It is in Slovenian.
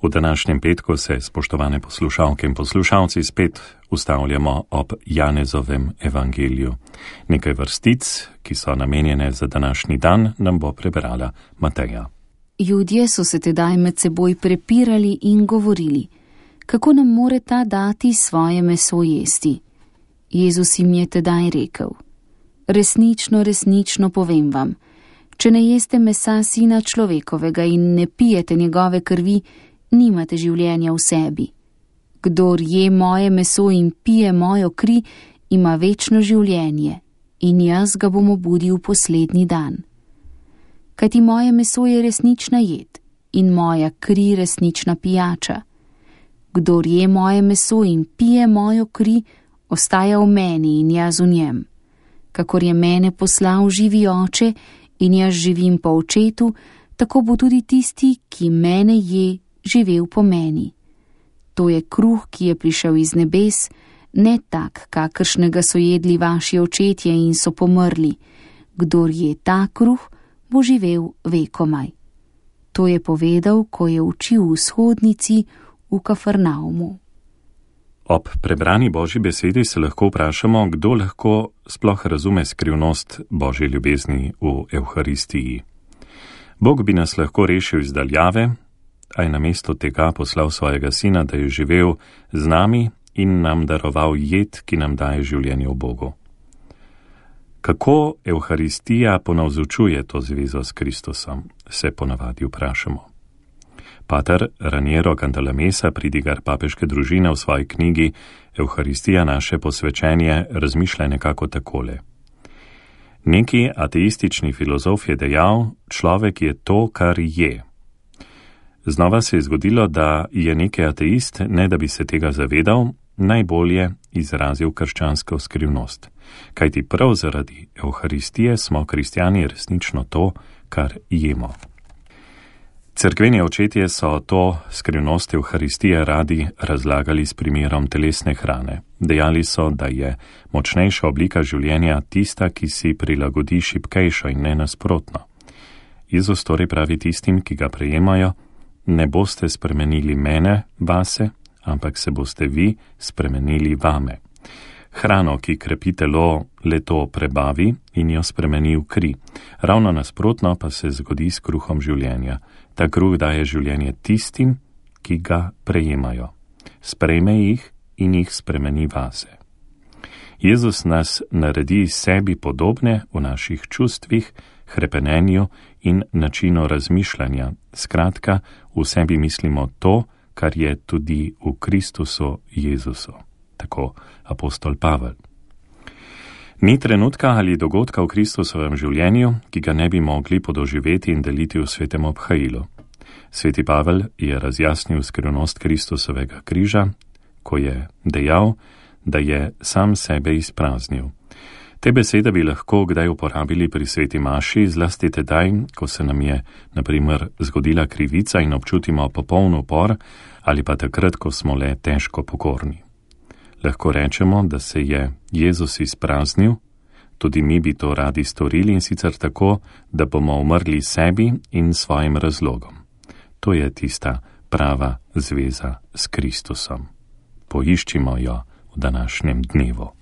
V današnjem petku se, spoštovane poslušalke in poslušalci, spet ustavljamo ob Janezovem evangeliju. Nekaj vrstic, ki so namenjene za današnji dan, nam bo prebrala Mateja. Judje so se tedaj med seboj prepirali in govorili, kako nam more ta dati svoje meso jesti. Jezus jim je tedaj rekel: resnično, resnično povem vam, če ne jeste mesa Sina človekovega in ne pijete njegove krvi, nimate življenja v sebi. Kdor je moje meso in pije mojo kri, ima večno življenje in jaz ga bom obudil poslednji dan. Kajti moje meso je resnična jed in moja kri resnična pijača. Kdor je moje meso in pije mojo kri, ostaja v meni in jaz v njem. Kakor je mene poslal živi Oče in jaz živim po Očetu, tako bo tudi tisti, ki mene je, živel po meni. To je kruh, ki je prišel iz nebes, ne tak, kakršnega so jedli vaši očetje in so pomrli. Kdor je ta kruh, bo živel vekomaj. To je povedal, ko je učil v shodnici v Kafarnaumu. Ob prebrani Božji besedi se lahko vprašamo, kdo lahko sploh razume skrivnost Božje ljubezni v Evharistiji. Bog bi nas lahko rešil iz daljave, a je namesto tega poslal svojega Sina, da je živel z nami in nam daroval jed, ki nam daje življenje v Bogu. Kako Evharistija ponavzučuje to zvezo s Kristusom, se ponavadi vprašamo. Pater Raniero Cantalamessa, pridigar papeške družine, v svoji knjigi Evharistija naše posvečenje razmišlja nekako takole. Neki ateistični filozof je dejal, človek je to, kar je. Znova se je zgodilo, da je neki ateist, ne da bi se tega zavedal, najbolje izrazil krščansko skrivnost. Kajti prav zaradi Evharistije smo kristjani resnično to, kar jemo. Cerkveni očetje so to skrivnost Evharistije radi razlagali s primerom telesne hrane. Dejali so, da je močnejša oblika življenja tista, ki si prilagodi šibkejšo in ne nasprotno. Jezus torej pravi tistim, ki ga prejemajo: ne boste spremenili mene, vase, ampak se boste vi spremenili vame. Hrano, ki krepi telo, le to prebavi in jo spremeni v kri. Ravno nasprotno pa se zgodi s kruhom življenja. Ta kruh daje življenje tistim, ki ga prejemajo. Sprejme jih in jih spremeni vase. Jezus nas naredi sebi podobne v naših čustvih, hrepenenju in načinu razmišljanja. Skratka, v sebi mislimo to, kar je tudi v Kristusu Jezusu. Tako apostol Pavel. Ni trenutka ali dogodka v Kristusovem življenju, ki ga ne bi mogli podoživeti in deliti v svetem obhajilu. Sveti Pavel je razjasnil skrivnost Kristusovega križa, ko je dejal, da je sam sebe izpraznil. Te besede bi lahko kdaj uporabili pri sveti maši, zlasti tedaj, ko se nam je, na primer, zgodila krivica in občutimo popoln upor, ali pa takrat, ko smo le težko pokorni. Lahko rečemo, da se je Jezus izpraznil, tudi mi bi to radi storili, in sicer tako, da bomo umrli sebi in svojim razlogom. To je tista prava zveza s Kristusom. Poiščimo jo v današnjem dnevu.